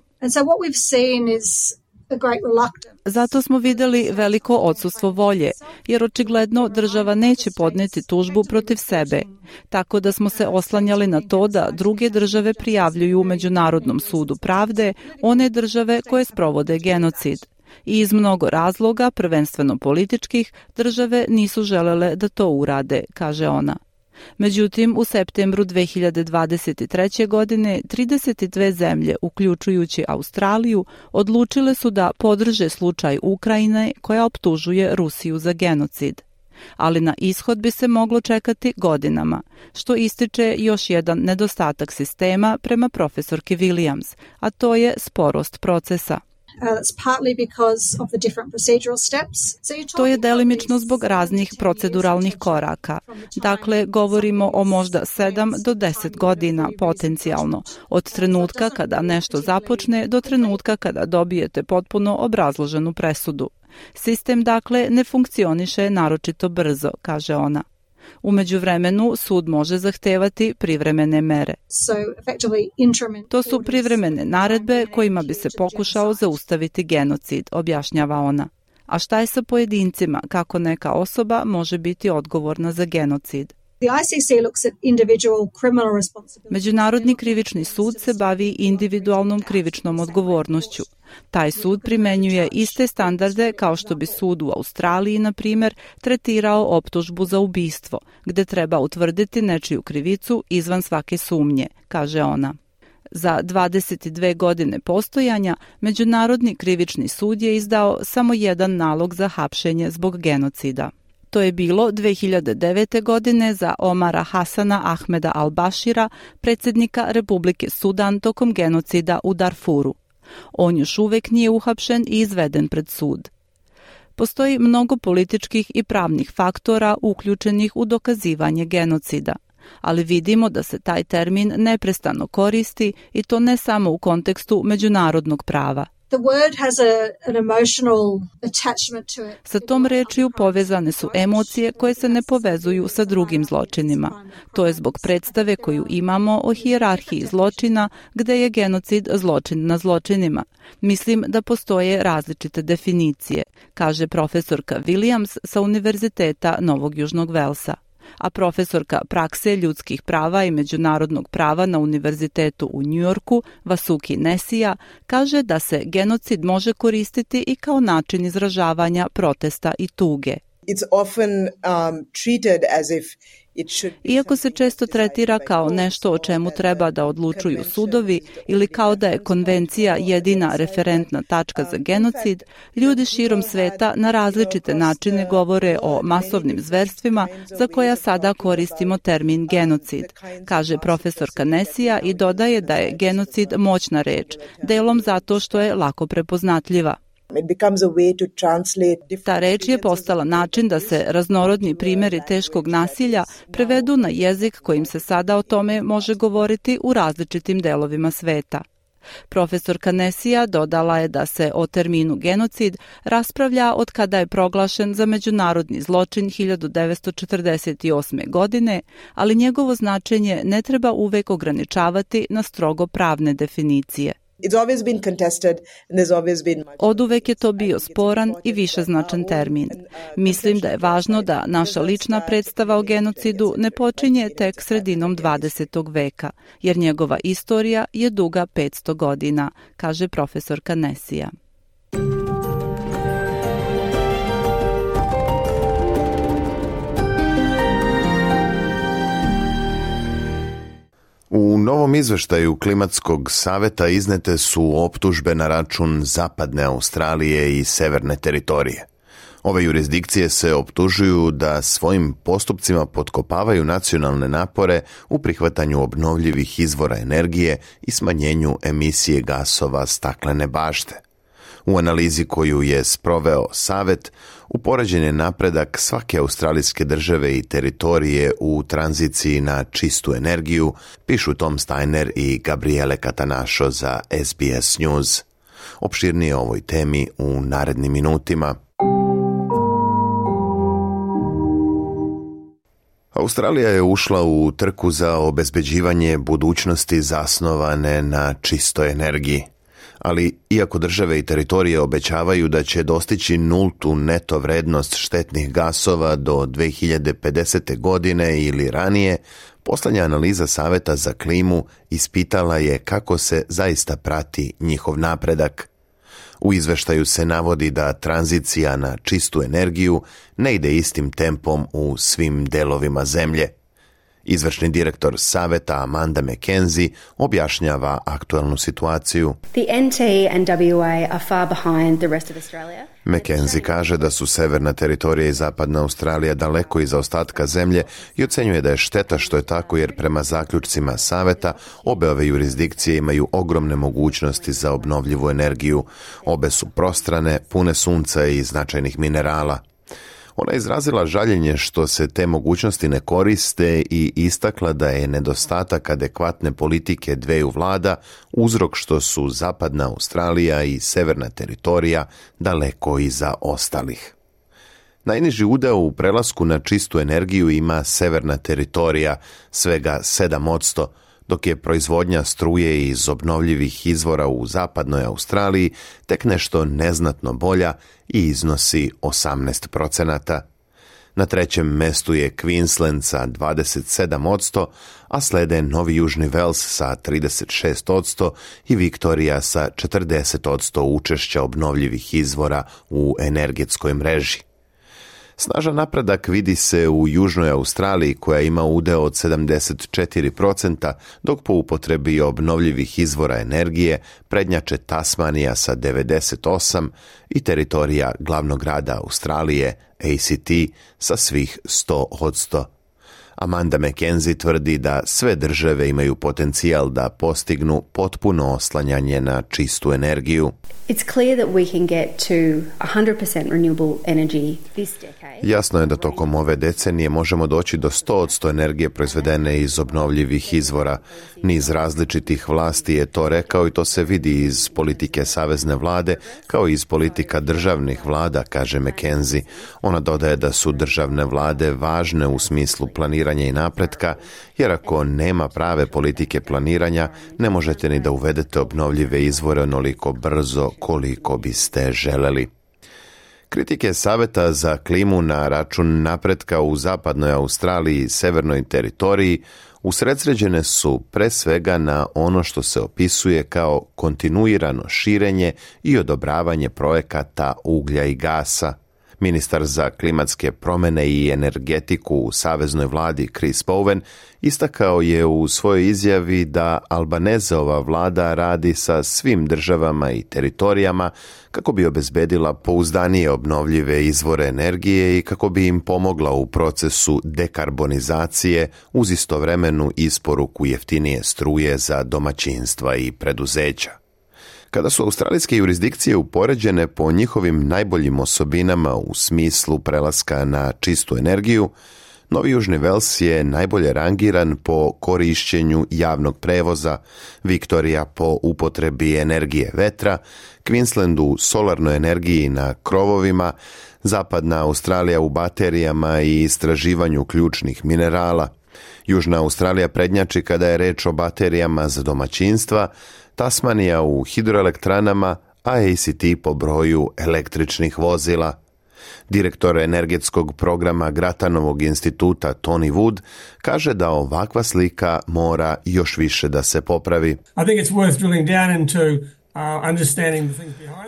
Zato smo vidjeli veliko odsustvo volje, jer očigledno država neće podnijeti tužbu protiv sebe, tako da smo se oslanjali na to da druge države prijavljuju Međunarodnom sudu pravde one države koje sprovode genocid. I iz mnogo razloga, prvenstveno političkih, države nisu želele da to urade, kaže ona. Međutim, u septembru 2023. godine 32 zemlje, uključujući Australiju, odlučile su da podrže slučaj Ukrajine koja optužuje Rusiju za genocid. Ali na ishod bi se moglo čekati godinama, što ističe još jedan nedostatak sistema prema profesorki Williams, a to je sporost procesa. To je delimično zbog raznih proceduralnih koraka. Dakle, govorimo o možda 7 do 10 godina potencijalno, od trenutka kada nešto započne do trenutka kada dobijete potpuno obrazloženu presudu. Sistem, dakle, ne funkcioniše naročito brzo, kaže ona. U međuvremenu sud može zahtevati privremene mere. To su privremene naredbe kojima bi se pokušao zaustaviti genocid, objašnjava ona. A šta je sa pojedincima, kako neka osoba može biti odgovorna za genocid? Međunarodni krivični sud se bavi individualnom krivičnom odgovornošću. Taj sud primenjuje iste standarde kao što bi sud u Australiji, na primjer, tretirao optužbu za ubistvo, gde treba utvrditi nečiju krivicu izvan svake sumnje, kaže ona. Za 22 godine postojanja, Međunarodni krivični sud je izdao samo jedan nalog za hapšenje zbog genocida. To je bilo 2009. godine za Omara Hasana Ahmeda al-Bashira, predsjednika Republike Sudan tokom genocida u Darfuru. On još uvek nije uhapšen i izveden pred sud. Postoji mnogo političkih i pravnih faktora uključenih u dokazivanje genocida, ali vidimo da se taj termin neprestano koristi i to ne samo u kontekstu međunarodnog prava. Sa tom rečju povezane su emocije koje se ne povezuju sa drugim zločinima. To je zbog predstave koju imamo o hijerarhiji zločina, gde je genocid zločin na zločinima. Mislim da postoje različite definicije, kaže profesorka Williams sa Univerziteta Novog Južnog Velsa. A profesorka prakse ljudskih prava i međunarodnog prava na Univerzitetu u Njujorku, Vasuki Nesija, kaže da se genocid može koristiti i kao način izražavanja protesta i tuge. Iako se često tretira kao nešto o čemu treba da odlučuju sudovi ili kao da je konvencija jedina referentna tačka za genocid, ljudi širom sveta na različite načine govore o masovnim zverstvima za koja sada koristimo termin genocid, kaže profesorka Nesija i dodaje da je genocid moćna reč, delom zato što je lako prepoznatljiva. Ta reč je postala način da se raznorodni primjeri teškog nasilja prevedu na jezik kojim se sada o tome može govoriti u različitim delovima sveta. Profesorka Nesija dodala je da se o terminu genocid raspravlja od kada je proglašen za međunarodni zločin 1948. godine, ali njegovo značenje ne treba uvek ograničavati na strogo pravne definicije. Oduvek je to bio sporan i višeznačan termin. Mislim da je važno da naša lična predstava o genocidu ne počinje tek sredinom 20. veka, jer njegova istorija je duga 500 godina, kaže profesorka Nesija. U novom izveštaju Klimatskog saveta iznete su optužbe na račun Zapadne Australije i Severne teritorije. Ove jurisdikcije se optužuju da svojim postupcima potkopavaju nacionalne napore u prihvatanju obnovljivih izvora energije i smanjenju emisije gasova staklene bašte. U analizi koju je sproveo Savet, upoređen je napredak svake australijske države i teritorije u tranziciji na čistu energiju, pišu Tom Steiner i Gabriele Catanacho za SBS News. Opširnije o ovoj temi u narednim minutima. Australija je ušla u trku za obezbeđivanje budućnosti zasnovane na čistoj energiji. Ali iako države i teritorije obećavaju da će dostići nultu neto vrednost štetnih gasova do 2050. godine ili ranije, poslednja analiza Saveta za klimu ispitala je kako se zaista prati njihov napredak. U izveštaju se navodi da tranzicija na čistu energiju ne ide istim tempom u svim delovima zemlje. Izvršni direktor Saveta Amanda McKenzie objašnjava aktualnu situaciju. McKenzie kaže da su Severna teritorija i Zapadna Australija daleko iza ostatka zemlje i ocenjuje da je šteta što je tako jer prema zaključcima Saveta obe ove jurisdikcije imaju ogromne mogućnosti za obnovljivu energiju. Obe su prostrane, pune sunca i značajnih minerala. Ona je izrazila žaljenje što se te mogućnosti ne koriste i istakla da je nedostatak adekvatne politike dveju vlada uzrok što su Zapadna Australija i Severna teritorija daleko iza ostalih. Najniži udeo u prelasku na čistu energiju ima Severna teritorija, svega 7%, dok je proizvodnja struje iz obnovljivih izvora u Zapadnoj Australiji tek nešto neznatno bolja i iznosi 18%. Na trećem mestu je Queensland sa 27%, a slede Novi Južni Wales sa 36% i Viktorija sa 40% učešća obnovljivih izvora u energetskoj mreži. Snažan napredak vidi se u Južnoj Australiji koja ima udeo od 74%, dok po upotrebi obnovljivih izvora energije prednjače Tasmanija sa 98% i teritorija glavnog grada Australije, ACT, sa svih 100%. Amanda McKenzie tvrdi da sve države imaju potencijal da postignu potpuno oslanjanje na čistu energiju. It's clear that we can get to 100% renewable energy this decade. Jasno je da tokom ove decenije možemo doći do 100% energije proizvedene iz obnovljivih izvora. Niz različitih vlasti je to rekao i to se vidi iz politike savezne vlade kao i iz politika državnih vlada, kaže McKenzie. Ona dodaje da su državne vlade važne u smislu planiranja i napretka, jer ako nema prave politike planiranja, ne možete ni da uvedete obnovljive izvore onoliko brzo koliko biste želeli. Kritike Saveta za klimu na račun napretka u zapadnoj Australiji i severnoj teritoriji usredsređene su pre svega na ono što se opisuje kao kontinuirano širenje i odobravanje projekata uglja i gasa. Ministar za klimatske promjene i energetiku u saveznoj vladi Chris Bowen istakao je u svojoj izjavi da Albanezeova vlada radi sa svim državama i teritorijama kako bi obezbedila pouzdanije obnovljive izvore energije i kako bi im pomogla u procesu dekarbonizacije uz istovremenu isporuku jeftinije struje za domaćinstva i preduzeća. Kada su australijske jurisdikcije upoređene po njihovim najboljim osobinama u smislu prelaska na čistu energiju, Novi Južni Wales je najbolje rangiran po korišćenju javnog prevoza, Viktorija po upotrebi energije vetra, Queensland u solarnoj energiji na krovovima, Zapadna Australija u baterijama i istraživanju ključnih minerala. Južna Australija prednjači kada je reč o baterijama za domaćinstva, Tasmanija u hidroelektranama, a ACT po broju električnih vozila. Direktor energetskog programa Gratanovog instituta Tony Wood kaže da ovakva slika mora još više da se popravi. I think it's worth drilling down into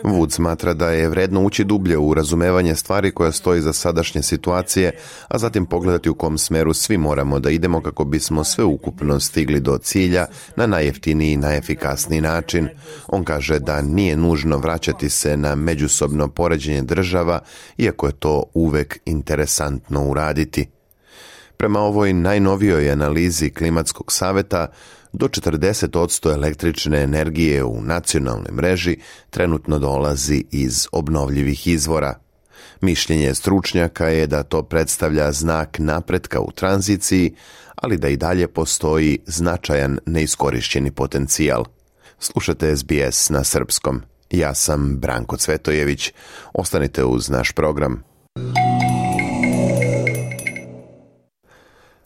Wood smatra da je vredno ući dublje u razumevanje stvari koja stoji za sadašnje situacije, a zatim pogledati u kom smeru svi moramo da idemo kako bismo sveukupno stigli do cilja na najjeftiniji i najefikasniji način. On kaže da nije nužno vraćati se na međusobno poređenje država, iako je to uvek interesantno uraditi. Prema ovoj najnovijoj analizi Klimatskog saveta, do 40% električne energije u nacionalnoj mreži trenutno dolazi iz obnovljivih izvora. Mišljenje stručnjaka je da to predstavlja znak napretka u tranziciji, ali da i dalje postoji značajan neiskorišćeni potencijal. Slušate SBS na srpskom. Ja sam Branko Cvetojević. Ostanite uz naš program.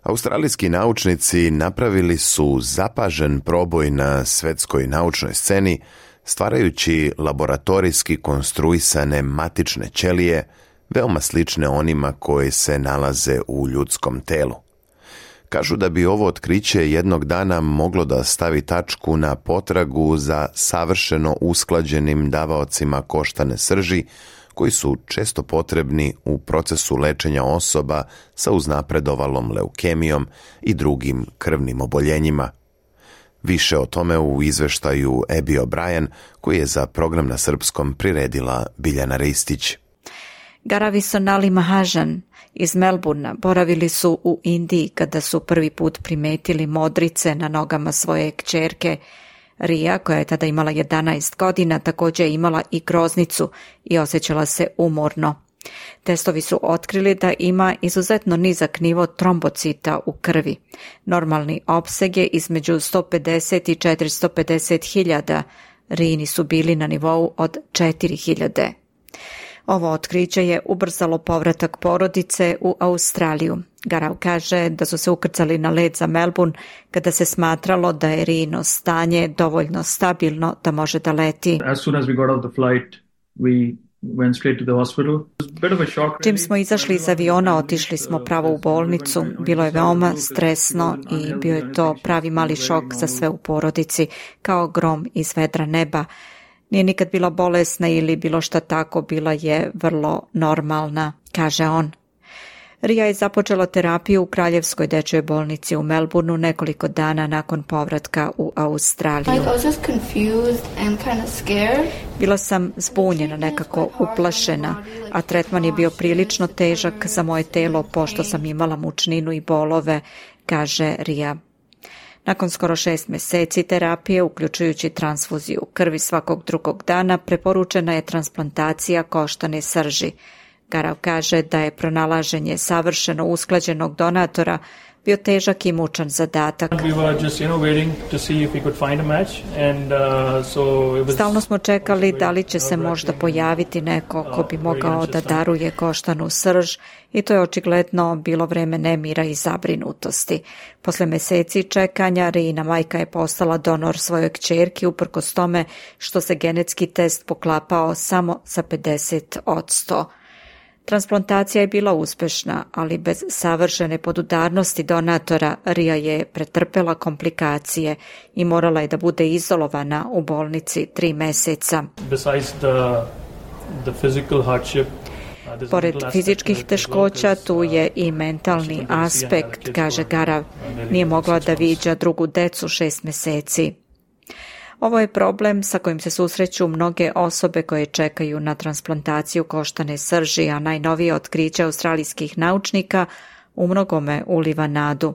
Australijski naučnici napravili su zapažen proboj na svetskoj naučnoj sceni, stvarajući laboratorijski konstruisane matične ćelije, veoma slične onima koje se nalaze u ljudskom telu. Kažu da bi ovo otkriće jednog dana moglo da stavi tačku na potragu za savršeno usklađenim davaocima koštane srži, koji su često potrebni u procesu lečenja osoba sa uznapredovalom leukemijom i drugim krvnim oboljenjima. Više o tome u izveštaju Abby O'Brien, koji je za program na srpskom priredila Biljana Ristić. Garavi Sonali Mahajan iz Melbourna boravili su u Indiji kada su prvi put primetili modrice na nogama svoje kćerke. Rija, koja je tada imala 11 godina, također je imala i groznicu i osjećala se umorno. Testovi su otkrili da ima izuzetno nizak nivo trombocita u krvi. Normalni opseg je između 150 i 450 hiljada. Rijini su bili na nivou od 4000. Ovo otkriće je ubrzalo povratak porodice u Australiju. Garau kaže da su se ukrcali na led za Melbourne kada se smatralo da je Rijino stanje dovoljno stabilno da može da leti. As soon as we got off the flight, we went straight to the hospital. It was a bit of a shock. Čim smo izašli iz aviona, otišli smo pravo u bolnicu. Bilo je veoma stresno i bio je to pravi mali šok za sve u porodici, kao grom iz vedra neba. Nije nikad bila bolesna ili bilo šta tako, bila je vrlo normalna, kaže on. Ria je započela terapiju u Kraljevskoj dečjoj bolnici u Melbourneu nekoliko dana nakon povratka u Australiju. Bila sam zbunjena, nekako uplašena, a tretman je bio prilično težak za moje telo pošto sam imala mučninu i bolove, kaže Ria. Nakon skoro 6 mjeseci terapije, uključujući transfuziju krvi svakog drugog dana, preporučena je transplantacija koštane srži. Garav kaže da je pronalaženje savršeno usklađenog donatora bio težak i mučan zadatak. Stalno smo čekali da li će se možda pojaviti neko ko bi mogao da daruje koštanu srž i to je očigledno bilo vreme nemira i zabrinutosti. Posle mjeseci čekanja Rijina majka je postala donor svojoj kćerki uprkos tome što se genetski test poklapao samo sa 50%. Transplantacija je bila uspešna, ali bez savršene podudarnosti donatora Ria je pretrpela komplikacije i morala je da bude izolovana u bolnici 3 mjeseca. Pored fizičkih teškoća, tu je i mentalni aspekt, kaže Garav. Nije mogla da viđa drugu decu 6 mjeseci. Ovo je problem sa kojim se susreću mnoge osobe koje čekaju na transplantaciju koštane srži, a najnovije otkriće australijskih naučnika u mnogome uliva nadu.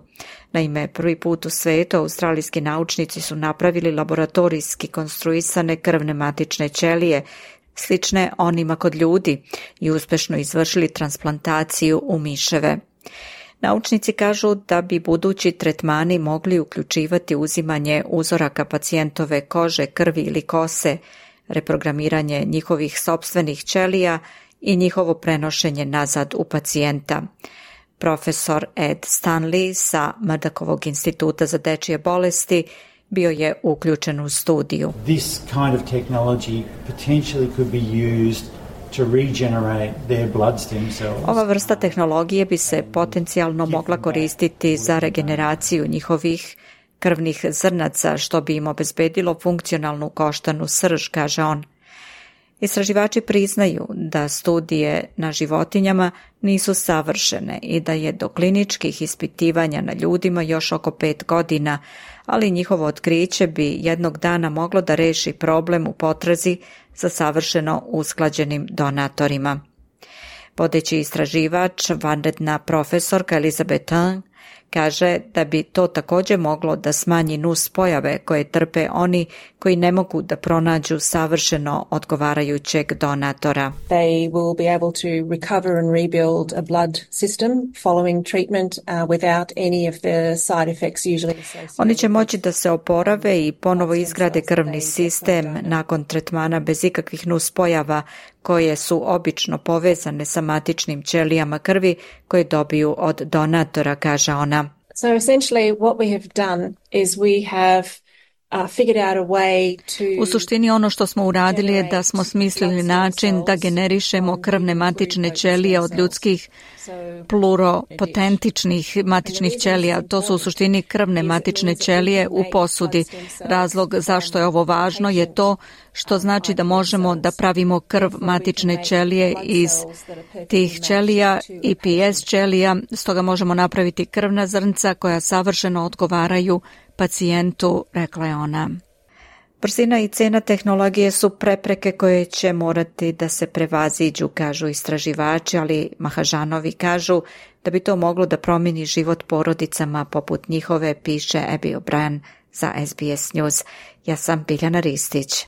Naime, prvi put u svijetu australijski naučnici su napravili laboratorijski konstruisane krvne matične ćelije, slične onima kod ljudi, i uspješno izvršili transplantaciju u miševe. Naučnici kažu da bi budući tretmani mogli uključivati uzimanje uzoraka pacijentove kože, krvi ili kose, reprogramiranje njihovih sopstvenih ćelija i njihovo prenošenje nazad u pacijenta. Profesor Ed Stanley sa Murdokovog instituta za dečje bolesti bio je uključen u studiju. This kind of technology potentially could be used to regenerate their blood stem cells. Ova vrsta tehnologije bi se potencijalno mogla koristiti za regeneraciju njihovih krvnih zrnaca, što bi im obezbedilo funkcionalnu koštanu srž, kaže on. Istraživači priznaju da studije na životinjama nisu savršene i da je do kliničkih ispitivanja na ljudima još oko 5 godina, ali njihovo otkriće bi jednog dana moglo da reši problem u potrazi za savršeno usklađenim donatorima. Vodeći istraživač, vanredna profesorka Elizabeth Tang, kaže da bi to također moglo da smanji nus pojave koje trpe oni koji ne mogu da pronađu savršeno odgovarajućeg donatora. They will be able to recover and rebuild a blood system following treatment without any of the side effects usually associated. Oni će moći da se oporave i ponovo izgrade krvni sistem nakon tretmana bez ikakvih nus pojava koje su obično povezane sa matičnim ćelijama krvi koje dobiju od donatora, kaže ona. So essentially what we have done is we have U suštini ono što smo uradili je da smo smislili način da generišemo krvne matične ćelije od ljudskih pluropotentičnih matičnih ćelija. To su u suštini krvne matične ćelije u posudi. Razlog zašto je ovo važno je to što znači da možemo da pravimo krv matične ćelije iz tih ćelija i PS ćelija, stoga možemo napraviti krvna zrnca koja savršeno odgovaraju pacijentu, rekla je ona. Brzina i cena tehnologije su prepreke koje će morati da se prevaziđu, kažu istraživači, ali Mahažanovi kažu da bi to moglo da promijeni život porodicama poput njihove, piše Abby O'Brien za SBS News. Ja sam Biljana Ristić.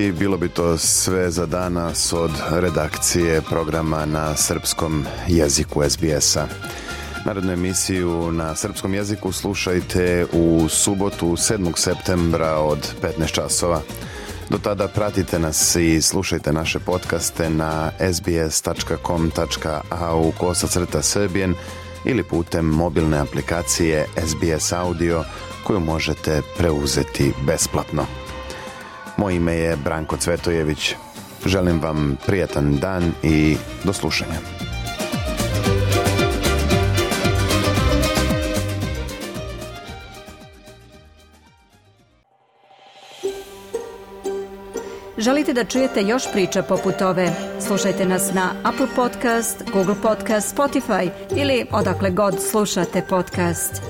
I bilo bi to sve za danas od redakcije programa na srpskom jeziku SBS-a. Narodnu emisiju na srpskom jeziku slušajte u subotu 7. septembra od 15 časova. Do tada pratite nas i slušajte naše podcaste na sbs.com.au/Serbian ili putem mobilne aplikacije SBS Audio koju možete preuzeti besplatno. Moje ime je Branko Cvetojević. Želim vam prijatan dan i do slušanja. Želite da čujete još priča poput ove? Slušajte nas na Apple Podcast, Google Podcast, Spotify ili odakle god slušate podcast.